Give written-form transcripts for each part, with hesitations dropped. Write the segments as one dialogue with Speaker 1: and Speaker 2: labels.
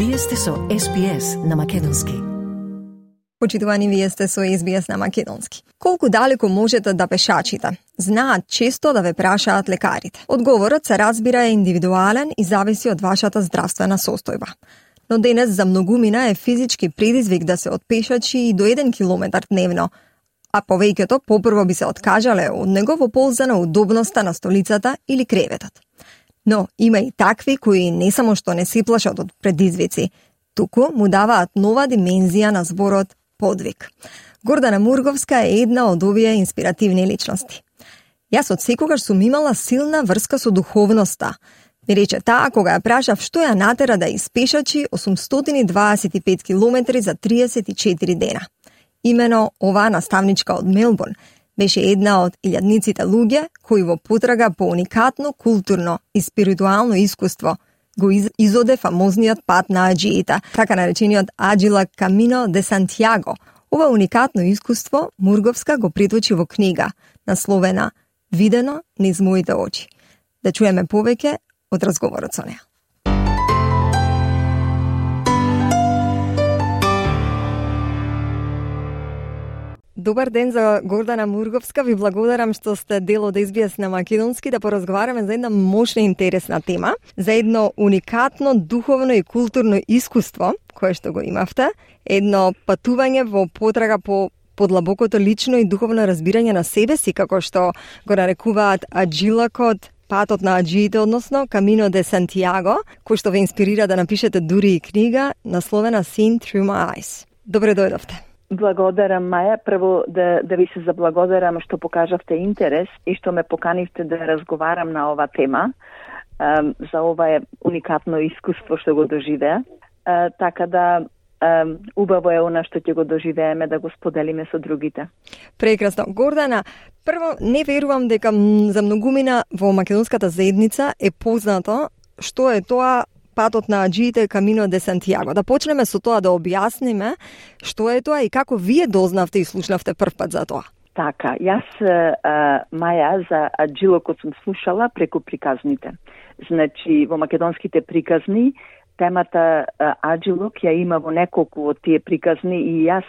Speaker 1: Вие сте со SBS на македонски.
Speaker 2: Почитувани, вие сте со SBS на македонски. Колку далеко можете да пешачите? Знаат често да ве прашаат лекарите. Одговорот се разбира е индивидуален и зависи од вашата здравствена состојба. Но денес за многумина е физички предизвик да се отпешачи и до 1 километар дневно, а повеќето попрво би се откажале од него во полза на удобноста на столицата или креветот. Но има и такви кои не само што не се плашат од предизвици, туку му даваат нова димензија на зборот подвиг. Гордана Мурговска е една од овие инспиративни личности. Јас од секогаш сум имала силна врска со духовноста. Ми рече таа кога ја прашав што ја натера да испешачи 825 километри за 34 дена. Имено оваа наставничка од Мелбурн беше една од илјадниците луѓе кои во потрага по уникатно културно и спиритуално искуство го изоде фамозниот пат на аџиите, така наречениот Аџила Камино де Сантјаго. Ова уникатно искуство Мурговска го приточи во книга, насловена "Видено низ моите очи". Да чуеме повеќе од разговорот со неа. Добар ден за Гордана Мурговска. Ви благодарам што сте дел од SBS на македонски да поразговараме за една мощна и интересна тема, за едно уникатно духовно и културно искуство кое што го имавте, едно патување во потрага по подлабокото лично и духовно разбирање на себе си, како што го нарекуваат аџилакот, патот на аџиите, односно Камино де Сантјаго, кој што ве инспирира да напишете дури и книга насловена Seen Through My Eyes. Добре дојдовте.
Speaker 3: Благодарам, Маја. Прво да ви се заблагодарам што покажавте интерес и што ме поканивте да разговарам на ова тема, за ова уникатно искуство што го доживеа. Така да убаво е она што ќе го доживееме да го споделиме со другите.
Speaker 2: Прекрасно. Гордана, прво не верувам дека за многумина во македонската заедница е познато што е тоа патот на аџиите Камино де Сантјаго. Да почнеме со тоа да објасниме што е тоа и како вие дознавте и слушнавте првпат за тоа.
Speaker 3: Така, јас, Маја, за аџилокот сум слушала преку приказните. Значи, во македонските приказни, темата аџилок ја има во неколку од тие приказни и јас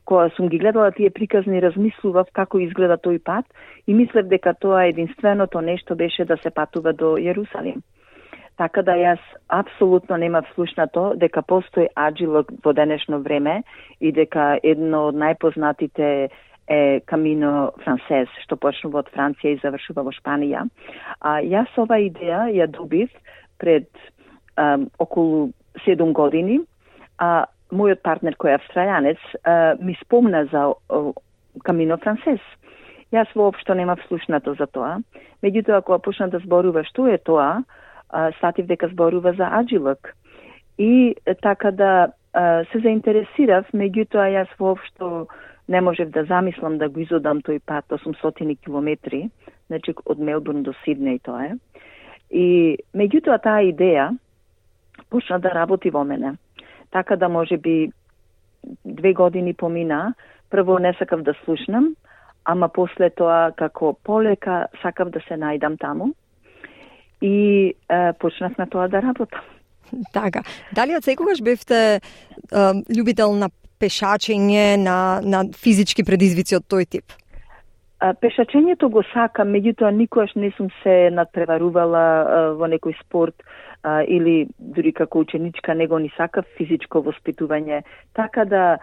Speaker 3: кога сум ги гледала тие приказни, размислував како изгледа тој пат и мислев дека тоа единственото нешто беше да се патува до Јерусалим. Така да јас апсолутно немав слушнато дека постои аџилок во денешно време и дека едно од најпознатите е Камино Франсез, што почнува од Франција и завршува во Шпанија. Јас ова идеја ја добив пред околу 7 години. Мојот партнер кој е австралијанец ми спомна за Камино Франсез. Јас воопшто немав слушнато за тоа. Меѓутоа, кога почна да зборува што е тоа, сатив дека зборува за аџилок. И така да се заинтересирав, меѓутоа јас воопшто не можев да замислам да го изодам тој пат 800 километри, значи од Мелбурн до Сиднеј тоа е. И меѓутоа таа идеја почна да работи во мене. Така да можеби 2 години помина, прво не сакав да слушнам, ама после тоа како полека сакав да се најдам таму. И почнав на тоа да работам.
Speaker 2: Така. Дали од секогаш бевте љубител на пешачење, на физички предизвици од тој тип?
Speaker 3: Пешачењето го сакам, меѓутоа никогаш не сум се надпреварувала во некој спорт или дури како ученичка него ни сакав физичко воспитување. Така да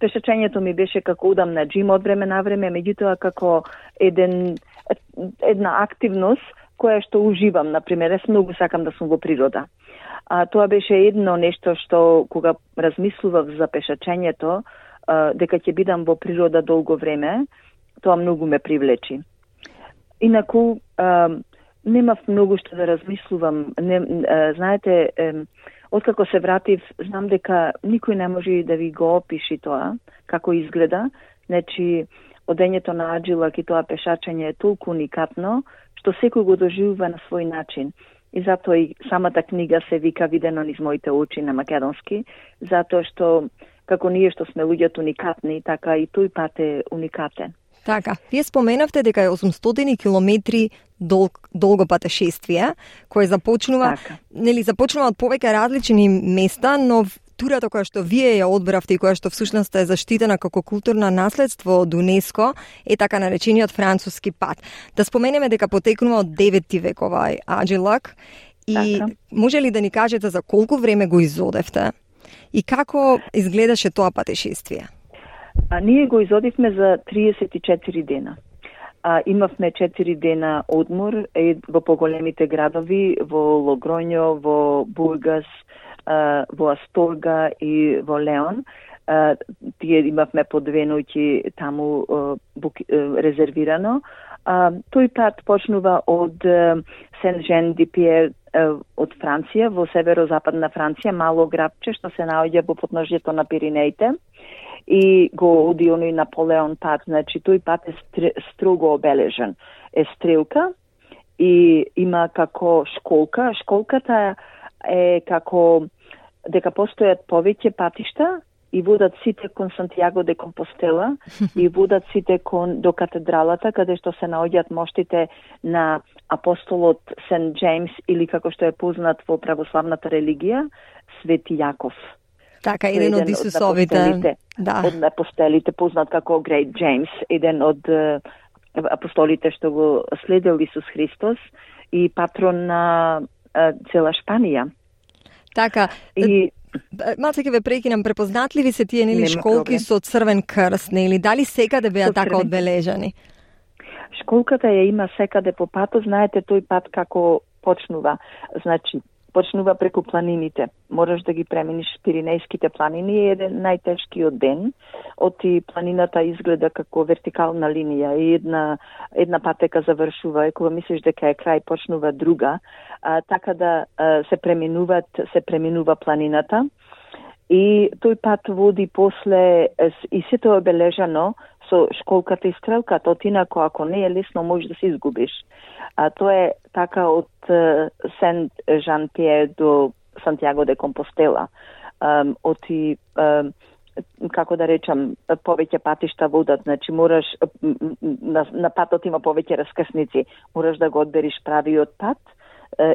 Speaker 3: пешачењето ми беше како удам на џим од време на време, меѓутоа како една активност која што уживам, например, јас многу сакам да сум во природа. Тоа беше едно нешто што кога размислував за пешачењето, дека ќе бидам во природа долго време, тоа многу ме привлечи. Инаку немав многу што да размислувам. Знаете, откако се вратив, знам дека никој не може да ви го опиши тоа, како изгледа. Значи, одењето на аџилак и тоа пешачење е толку уникатно, што секој го доживува на свој начин. И затоа и самата книга се вика "Видено низ моите очи" на македонски, затоа што како ние што сме луѓето уникатни, така и тој пат е уникатен.
Speaker 2: Така, вие споменавте дека е 800 километри долго патешествие, кое започнува, започнува од повеќе различни места, но турата која што вие ја одбравте и која што всушност е заштитена како културно наследство од УНЕСКО е така наречениот француски пат. Да споменеме дека потекнува од 9 век овај Аџилак и може ли да ни кажете за колку време го изодевте и како изгледаше тоа патешествие?
Speaker 3: Ние го изодивме за 34 дена. Имавме 4 дена одмор во поголемите градови, во Логроњо, во Бургас, во Асторга и во Леон. Тие имавме по 2 ноќи таму резервирано. Тој пат почнува од Сен-Жен-ди-Пиер од Франција, во северо-западна Франција, мало градче што се наоѓа во подножјето на Пиринеите. И го оди оној Наполеон пат, значи тој пат е строго обележен. Е стрелка и има како школка. Школката е како дека постојат повеќе патишта и водат сите кон Сантјаго де Компостела и водат сите до катедралата каде што се наоѓаат моштите на апостолот Сент Джеймс или како што е познат во православната религија Свети Јаков.
Speaker 2: Така, еден од Исусовите.
Speaker 3: Од апостолите, познат како Great James, еден од апостолите што го следел Исус Христос и патрон на цела Шпанија.
Speaker 2: Така, малце ќе ве прекинам, препознатливи ви се тие нели школки со црвен крст, нели? Дали секаде беа така одбележани?
Speaker 3: Школката ја има секаде по патот, знаете тој пат како почнува. Значи, почнува преку планините. Можеш да ги преминиш Пиринејските планини, е еден најтешкиот ден. Оти планината изгледа како вертикална линија и една патека завршува и кога мислиш дека е крај почнува друга. Така да се преминува планината и тој пат води после и сето е обележано со школката и стрелката, инако ако не е лесно можеш да се изгубиш. Тоа е така од Сент Жан Пиер до Сантјаго де Компостела. Оти, како да речам, повеќе патишта водат, значи мораш, на патот има повеќе раскрсници, мораш да го одбериш правиот пат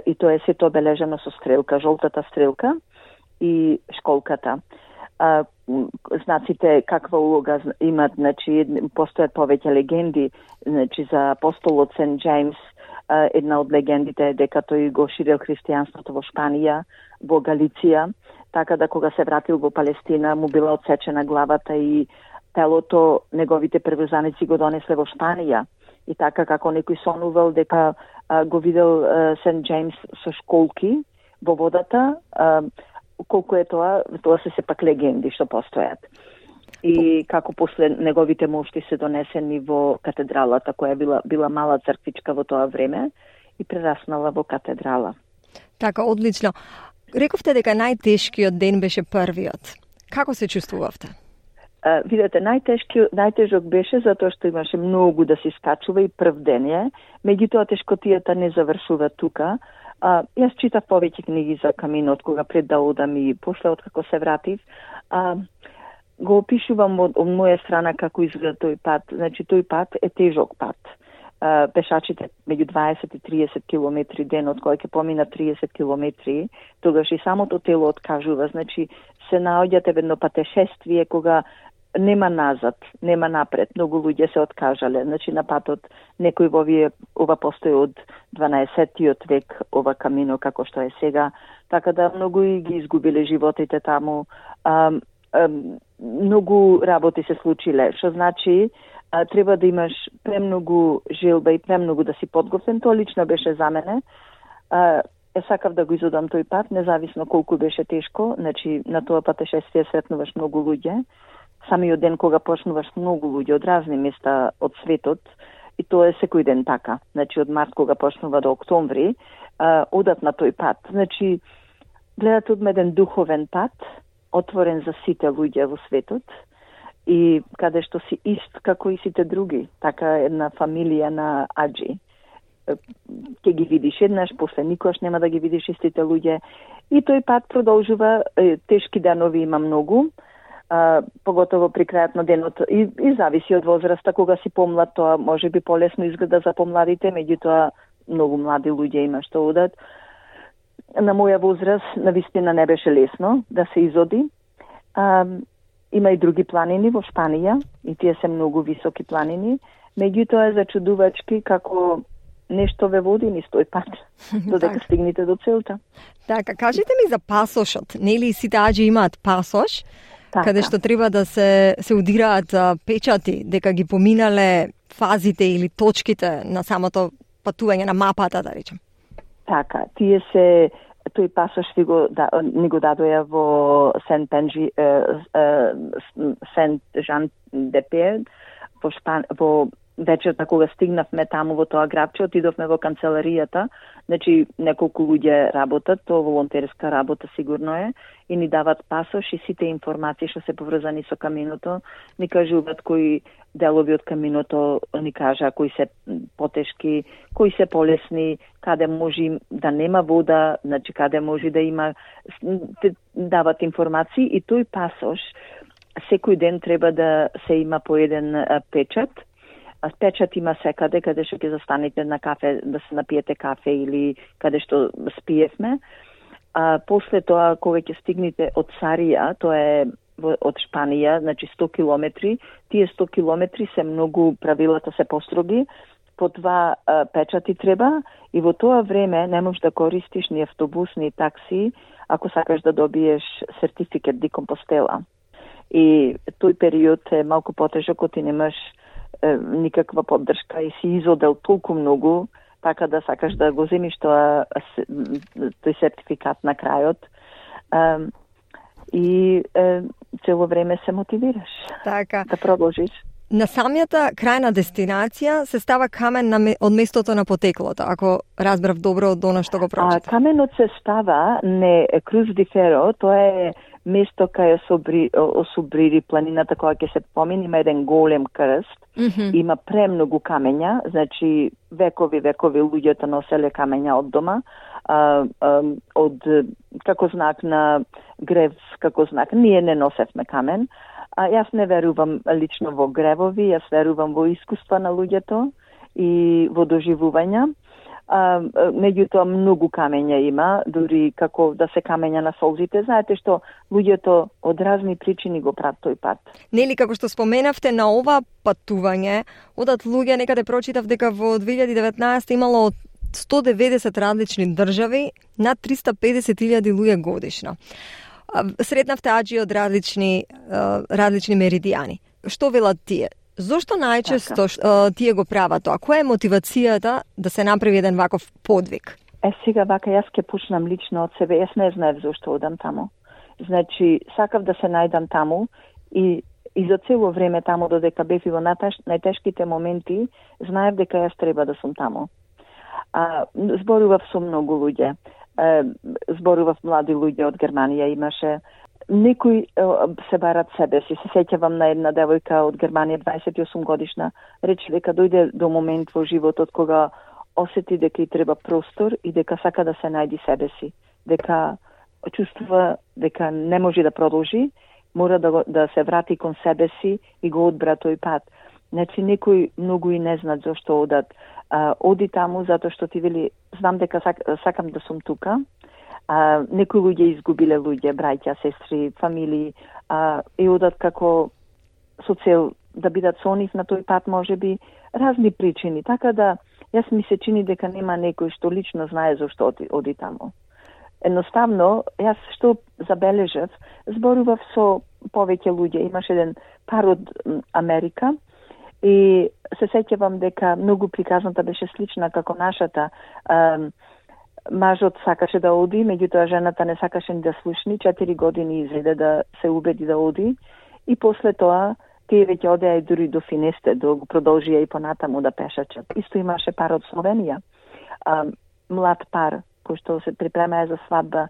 Speaker 3: и тоа е сето обележано со стрелка, жолтата стрелка и школката. Знаците каква улога имат, значи постојат повеќе легенди, значи за апостолот Сент Джеймс, една од легендите е дека тој го ширил христијанството во Шпанија, во Галиција, така да кога се вратил во Палестина му била отсечена главата и телото неговите приврзаници го донесле во Шпанија. И така како некој сонувал дека го видел Сент Джеймс со школки во водата, колку е тоа се сепак легенди што постојат. И како после неговите мошти се донесени во катедралата, која била мала црквичка во тоа време и прераснала во катедрала.
Speaker 2: Така, одлично. Рековте дека најтешкиот ден беше првиот. Како се чувствувавте?
Speaker 3: Видете, најтежок беше затоа што имаше многу да се скачува и прв ден е. Меѓутоа тешкотијата не завршува тука. Јас читав повеќе книги за каминот кога пред да одам и после откако се вратив. Го опишувам од моја страна како изгледа тој пат. Значи тој пат е тежок пат. Пешачите меѓу 20 и 30 километри денот, кој ќе помина 30 километри, тогаш и самото тело откажува. Значи се наоѓате во едно патешествие кога нема назад, нема напред. Многу луѓе се откажале. Значи на патот некој ова постои од 12-тиот век, ова камино како што е сега, така да многу и ги изгубиле животите таму. Многу работи се случиле, што значи треба да имаш премногу желба и премногу да си подготвен. Тоа лично беше за мене. Сакав да го изодам тој пат, независно колку беше тешко. Значи на тоа патешествие сретнуваш многу луѓе. Самиот ден кога почнуваш многу луѓе од разни места од светот, и тоа е секој ден така. Значи од март кога почнува до октомври, одат на тој пат. Значи гледате од еден духовен пат, отворен за сите луѓе во светот и каде што си ист како и сите други, така една фамилија на аџи. Ќе ги видиш еднаш, после никош нема да ги видиш истите луѓе и тој пат продолжува, тешки данови има многу, поготово при крајот на денот и зависи од возраста. Кога си помлад, тоа може би полесно изгледа за помладите, меѓутоа многу млади луѓе има што одат. На моја возраст навистина не беше лесно да се изоди. Има и други планини во Шпанија и тие се многу високи планини, меѓутоа е зачудувачки како нешто ве води низ тој пат, додека стигнете до целта.
Speaker 2: Така, кажете ми за пасошот. Нели сите аџи имаат пасош, каде што треба да се удираат печати, дека ги поминале фазите или точките на самото патување на мапата, да речем.
Speaker 3: Така, тој пасош ни го дадоја во Сент Жан де Перд, во вечерта кога стигнавме таму во тоа грабче, отидовме во канцеларијата, значи неколку луѓе работат, тоа волонтерска работа сигурно е, и ни дават пасош и сите информации што се поврзани со каминото, ни кажуваат кои делови од каминото, ни кажа кои се потешки, кои се полесни, каде може да нема вода, значи каде може да има, дават информации и тој пасош секој ден треба да се има по еден печат. Печат има секаде, каде што ќе застанете на кафе, да се напиете кафе или каде што спиевме. После тоа, кога ќе стигнете од Сарија, тоа е од Шпанија, значи 100 километри, тие 100 километри се многу, правилата се построги, по 2 печати треба и во тоа време не можеш да користиш ни автобус, ни такси, ако сакаш да добиеш сертификат ди Компостела. И тој период е малку потежок, ако ти немаш никаква поддршка и си изодел толку многу, така да сакаш да го земиш тој сертификат на крајот. И цело време се мотивираш да продолжиш.
Speaker 2: На самијата крајна дестинација се става камен од местото на потеклото, ако разбрав добро од она што го прочитав.
Speaker 3: Каменот се става не Круз ди Феро, тоа е место кај Осубрири планината, која ќе се помини, има еден голем крст, има премногу камења, значи векови луѓето носеле камења од дома, како знак на грев, како знак. Ние не носевме камен. Јас не верувам лично во гревови, јас верувам во искуства на луѓето и во доживувања. Меѓутоа многу камења има, дури како да се камења на солзите. Знаете што луѓето од разни причини го прават тој пат.
Speaker 2: Нели, како што споменавте, на ова патување одат луѓе, некаде прочитав дека во 2019 имало 190 различни држави, над 350.000 луѓе годишно. Сретнавте аџи од различни меридијани. Што велат тие? Зошто најчесто тие го прават тоа? Која е мотивацијата да се направи еден ваков подвиг?
Speaker 3: Сега вака јас ќе почнам лично од себе. Јас не знаев зошто одам таму. Значи, сакав да се најдам таму и за цело време таму, додека бев и во најтешките моменти, знаев дека јас треба да сум таму. Зборував со многу луѓе. Зборував млади луѓе од Германија, имаше. Некои се барат себе си. Се сеќавам на една девојка од Германија, 28 годишна, рече дека дојде до момент во животот кога осети дека и треба простор и дека сака да се најди себе си. Дека чувствува дека не може да продолжи, мора да се врати кон себе си и го одбра тој пат. Значи, некои многу и не знаат зашто одат. Оди таму затоа што ти вели, знам дека сакам да сум тука. Некои луѓе изгубиле луѓе, браќа, сестри, фамилии, и одат како со цел да бидат со нив на тој пат, може би, разни причини. Така да, јас ми се чини дека нема некој што лично знае зашто оди таму. Едноставно, јас што забележав, зборував со повеќе луѓе. Имаш еден пар од Америка и се сеќавам дека многу приказната беше слична како нашата. Мажот сакаше да оди, меѓутоа жената не сакаше ни да слушни. 4 години изеде да се убеди да оди и после тоа тие веќе одеа и дури до Финесте, да го продолжија и понатаму да пешачат. Исто имаше пар од Словенија, млад пар, кој што се припремаа за свадба,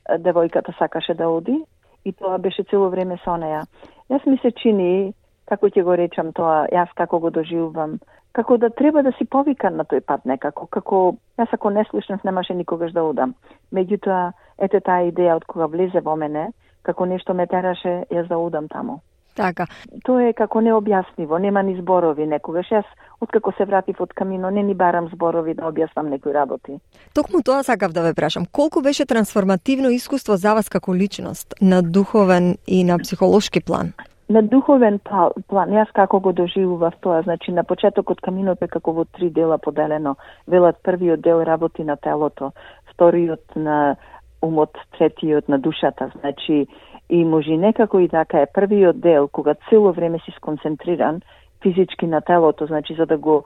Speaker 3: девојката сакаше да оди и тоа беше цело време со неја. Јас ми се чини, како ќе го речам тоа, јас како го доживувам, како да треба да си повикан на тој пат некако, како јас ако не слушнав немаше никогаш да одам. Меѓутоа, ете таа идеја од кога влезе во мене, како нешто ме тераше јас да одам таму.
Speaker 2: Така.
Speaker 3: Тоа е како необјасниво, нема ни зборови некогаш. Јас, откако се вратив од Камино, не ни барам зборови да објаснам некои работи.
Speaker 2: Токму тоа сакав да ве прашам. Колку беше трансформативно искуство за вас како личност, на духовен и на психолошки план?
Speaker 3: На духовен план, јас како го доживував тоа, значи на почетокот Каминото е како во 3 дела поделено. Велат првиот дел работи на телото, вториот на умот, третиот на душата, значи и може некако и така е првиот дел, кога цело време си сконцентриран физички на телото, значи за да го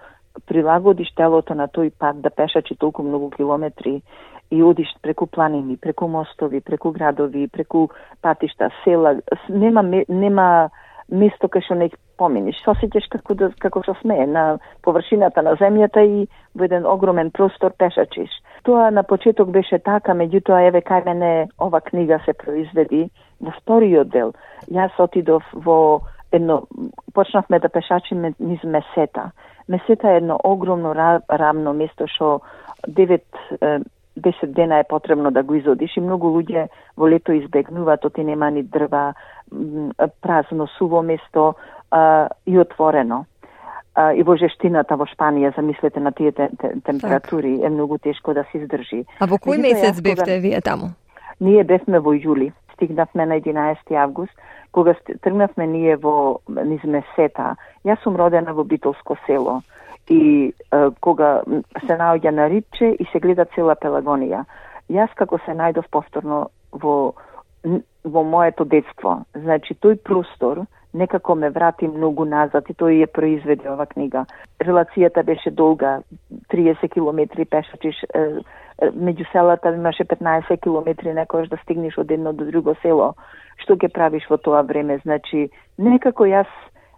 Speaker 3: прилагодиш телото на тој пат да пешачи толку многу километри и одиш преку планини, преку мостови, преку градови, преку патишта, села, нема место кај што не поминиш. Се осеќаш како што сме на површината на земјата и во еден огромен простор пешачиш. Тоа на почеток беше така, меѓутоа еве кај мене ова книга се произведи во вториот дел. Јас отидов во едно, почнавме да пешачиме низ Месета. Месета е едно огромно рамно место што 9-10 дена е потребно да го изодиш и многу луѓе во лето избегнуваат, оти нема ни дрва, празно, суво место и отворено. И во жештината во Шпанија, замислете на тие температури, е многу тешко да се издржи.
Speaker 2: А во кој месец бевте вие таму?
Speaker 3: Ние бевме во јули, стигнавме на 11 август, кога тргнавме ние во низ Месета. Јас сум родена во битолско село и кога се наоѓа на Рипче и се гледа цела Пелагонија. Јас како се најдов повторно во моето детство, значи тој простор некако ме врати многу назад и тој ја произведе ова книга. Релацијата беше долга, 30 километри пешачиш, меѓу селата имаше 15 километри некојаш да стигнеш од едно до друго село. Што ќе правиш во тоа време? Значи, некако јас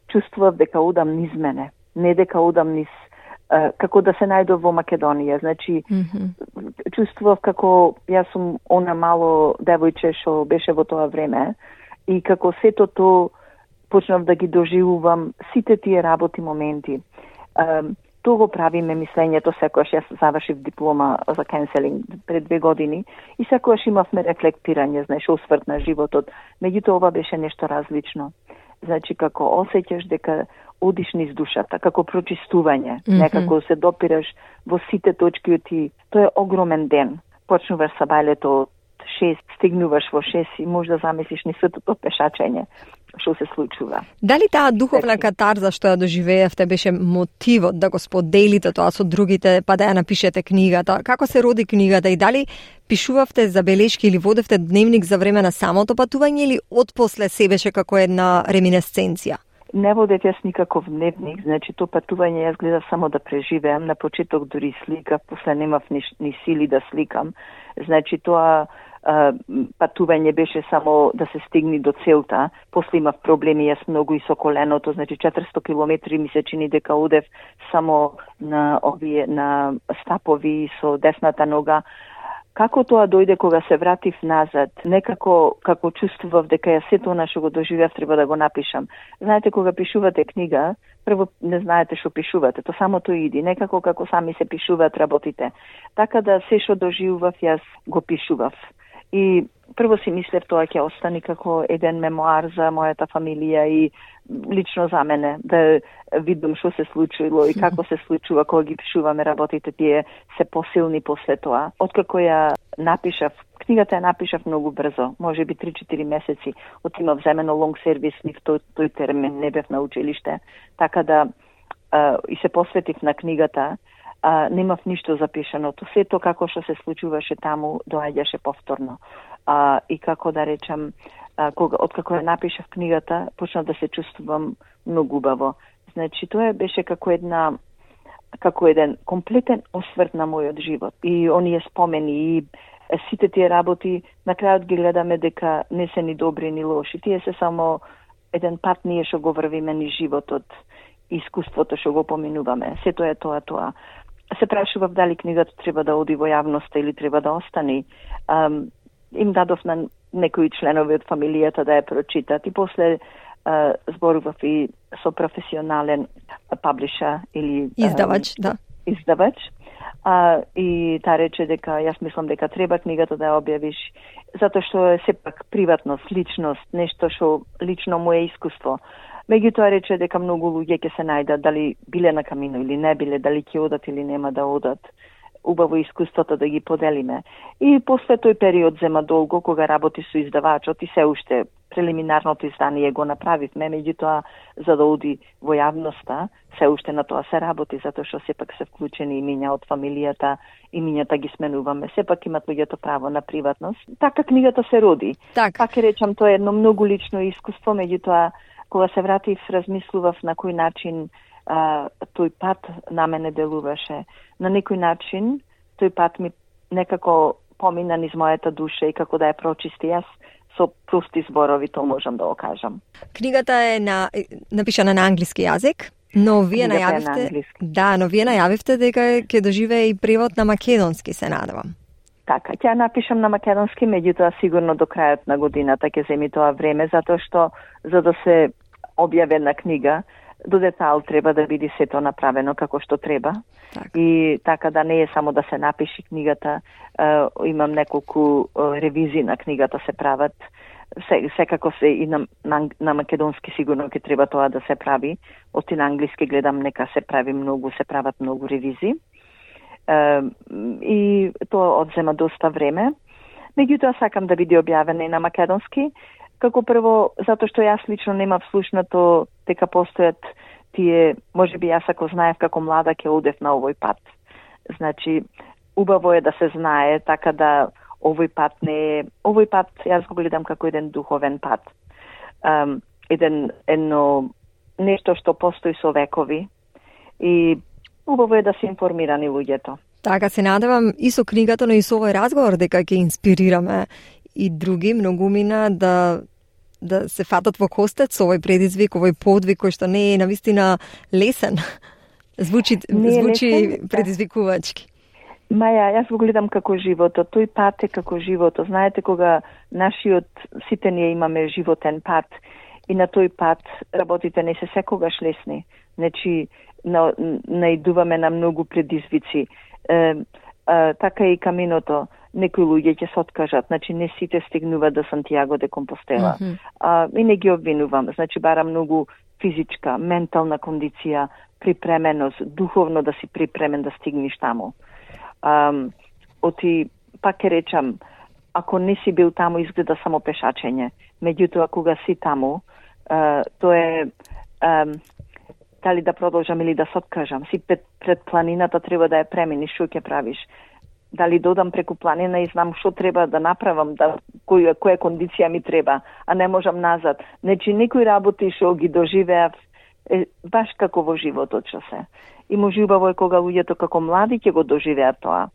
Speaker 3: чувствував дека одам низ мене, не дека одам низ како да се најдов во Македонија. Значи, чувствував како јас сум она мало девојче што беше во тоа време и како сето тоа почнав да ги доживувам сите тие работи моменти. Тоа го правиме мислењето секогаш. Јас завршив диплома за кенселинг пред 2 години и секогаш имавме рефлектирање, знаеш, осврт на животот. Меѓутоа ова беше нешто различно. Значи како осеќаш дека одиш низ душата, како прочистување, некако се допираш во сите точки од ти. Тоа е огромен ден. Почнуваш сабајлето од 6, стигнуваш во 6 и може да замислиш ни светото пешачење што се случува.
Speaker 2: Дали таа духовна катарза што ја доживеевте беше мотивот да го споделите тоа со другите, па да ја напишете книгата? Како се роди книгата и дали пишувавте забелешки или водевте дневник за време на самото патување или отпосле се беше како една реминесценција?
Speaker 3: Не водев јас никаков дневник, значи то патување јас гледав само да преживеам. На почеток дури сликав, после немав ни сили да сликам. Значи тоа патување беше само да се стигне до целта. После имав проблеми јас многу и со коленото, значи 400 километри ми се чини дека одев само на стапови со десната нога. Како тоа дојде кога се вратив назад, некако како чувствував дека ја сето она што го доживеав треба да го напишам. Знаете, кога пишувате книга, прво не знаете што пишувате, то само тоа иди, некако како сами се пишуваат работите. Така да се што доживував јас го пишував. И прво си мислев тоа ќе остане како еден мемоар за мојата фамилија и лично за мене, да видам што се случило и како се случува кога ги пишуваме работите, тие се посилни после тоа. Откако ја напишав, книгата ја напишав многу брзо, може би 3-4 месеци. Отимав земено лонг сервис, нив тој термин не бев на училиште, така да и се посветив на книгата. Немав ништо запишано. Сето како што се случуваше таму доаѓаше повторно. И како да речам, откако ја напишав книгата, почнав да се чувствувам многу убаво. Значи тоа беше како еден комплетен осврт на мојот живот. И оние спомени и сите тие работи на крајот ги гледаме дека не се ни добри ни лоши. Тие се само еден пат ние што го врвиме ни животот, искуството што го поминуваме. Сето е тоа. Се прашував дали книгата треба да оди во јавноста или треба да остане. Им дадов на некои членови од фамилијата да ја прочитат и после зборував и со професионален паблиша или
Speaker 2: издавач, да.
Speaker 3: Издавач, И таа рече дека јас мислам дека треба книгата да ја објавиш, затоа што е сепак приватност, личност, нешто што лично му е искуство. Меѓутоа рече дека многу луѓе ќе се најдат, дали биле на камино или не биле, дали ќе одат или нема да одат. Убаво искуството да ги поделиме. И после тој период зема долго, кога работи со издавачот и се уште прелиминарното издание го направивме, меѓутоа за да оди во јавноста, се уште на тоа се работи, затоа што сепак се вклучени имиња од фамилијата, имињата ги сменуваме, сепак имат луѓето право на приватност. Така книгата се роди. Пак речам, тоа е едно многу лично искуство, меѓутоа кога се вратив, размислував на кој начин тој пат на мене делуваше. На некој начин тој пат ми некако помина низ мојата душа и како да ја прочисти. Јас со прости зборови тоа можам да го кажам.
Speaker 2: Книгата е напишана на англиски јазик, но вие најавивте дека ќе доживее и превод на македонски, се надевам.
Speaker 3: Така, ќе напишам на македонски, меѓутоа сигурно до крајот на годината ќе земи тоа време, затоа што за да се објави една книга, до детал треба да биде сето направено како што треба. И така да не е само да се напише книгата, имам неколку ревизии на книгата се прават. Секако се и на македонски сигурно ќе треба тоа да се прави. Оти на англиски гледам нека се прават многу ревизии. И тоа одзема доста време. Меѓутоа сакам да биде објавена и на македонски. Како прво, затоа што јас лично немав слушнато дека постојат тие, можеби јас ако знаев како млада ќе одев на овој пат. Значи, убаво е да се знае, така да овој пат јас го гледам како еден духовен пат. Едно нешто што постои со векови и убаво е да се информирани луѓето.
Speaker 2: Така се надевам и со книгата, но и со овој разговор дека ќе инспирираме и други многумина да се фатат во костет со овој предизвик, овој подвиг кој што не е навистина лесен. Звучи предизвикувачки.
Speaker 3: Маја, јас го гледам како животот. Тој пат е како животот. Знаете, кога сите ние имаме животен пат и на тој пат работите не се секогаш лесни. Значи, наидуваме на многу предизвици. Така и каминото. Некои луѓе ќе се откажат, значи не сите стигнуваат до Сантијаго де Компостела. И не ги обвинувам, значи бара многу физичка, ментална кондиција, припременост, духовно да си припремен да стигнеш таму. Пак ќе речам, ако не си бил таму, изгледа само пешачење. Меѓутоа, кога си таму, тоа е дали да продолжам или да се откажам. Си пред планината треба да ја преминиш, што ќе правиш? Дали додам преку планина и знам што треба да направам, која кондиција ми треба, а не можам назад. Значи, некои работи што ги доживеав, баш како во животот што се. И може убаво е кога луѓето како млади ќе го доживеат тоа.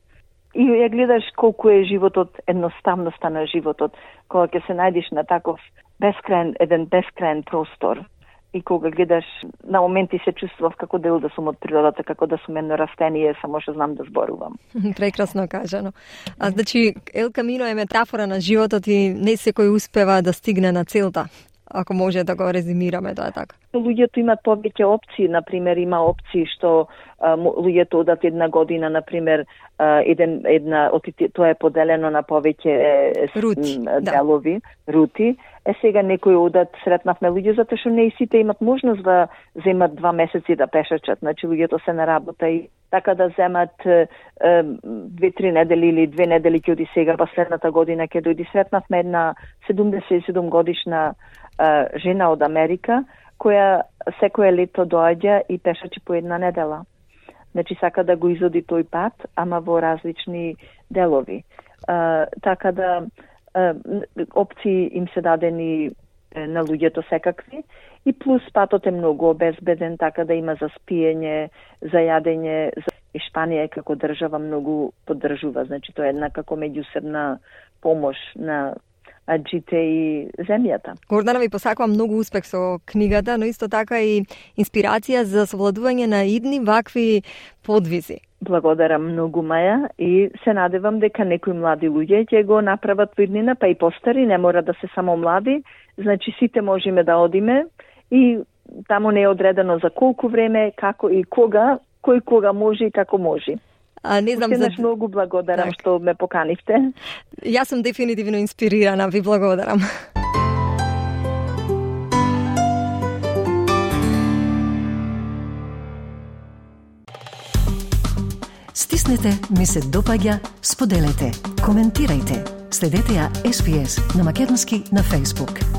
Speaker 3: И ја гледаш колку е животот, едноставноста на животот, кога ќе се најдеш на таков бескраен простор. И кога гледаш, на моменти се чувствував како дел да сум од природата, како да сум едно растение, само што знам да зборувам.
Speaker 2: Прекрасно кажано. Значи, El Camino е метафора на животот и не секој успева да стигне на целта, ако може да го резимираме, тоа е така.
Speaker 3: Луѓето имат повеќе опции, например, има опции што луѓето одат една година, например, тоа е поделено на повеќе делови, рути. Сега некои одат, сретнавме луѓе, затоа што не и сите имат можност да земат 2 месеци да пешачат. Значи, луѓето се на работа и така да земат 2-3 недели или 2 недели ќе оди сега, па следната година ќе дојди. Сретнавме една 77 годишна жена од Америка, која секое лето доаѓа и пешачи по една недела. Значи, сака да го изоди тој пат, ама во различни делови. Така да опции им се дадени на луѓето секакви и плюс патот е многу обезбеден, така да има за спиење, за јадење. И Шпанија е како држава многу поддржува, значи тоа е една како меѓусебна помош на аџите и земјата.
Speaker 2: Гордана, ви посакувам многу успех со книгата, но исто така и инспирација за совладување на идни вакви подвизи.
Speaker 3: Благодарам многу, Маја, и се надевам дека некои млади луѓе ќе го направат во иднина, па и постари, не мора да се само млади, значи сите можеме да одиме и таму не е одредено за колку време, како и кога, кој кога може и како може.
Speaker 2: Не знам
Speaker 3: за... многу благодарам што ме поканивте.
Speaker 2: Јас сум дефинитивно инспирирана, ви благодарам.
Speaker 1: Стиснете, ми се допаѓа, споделете, коментирајте. Следете ја SPS на македонски на Facebook.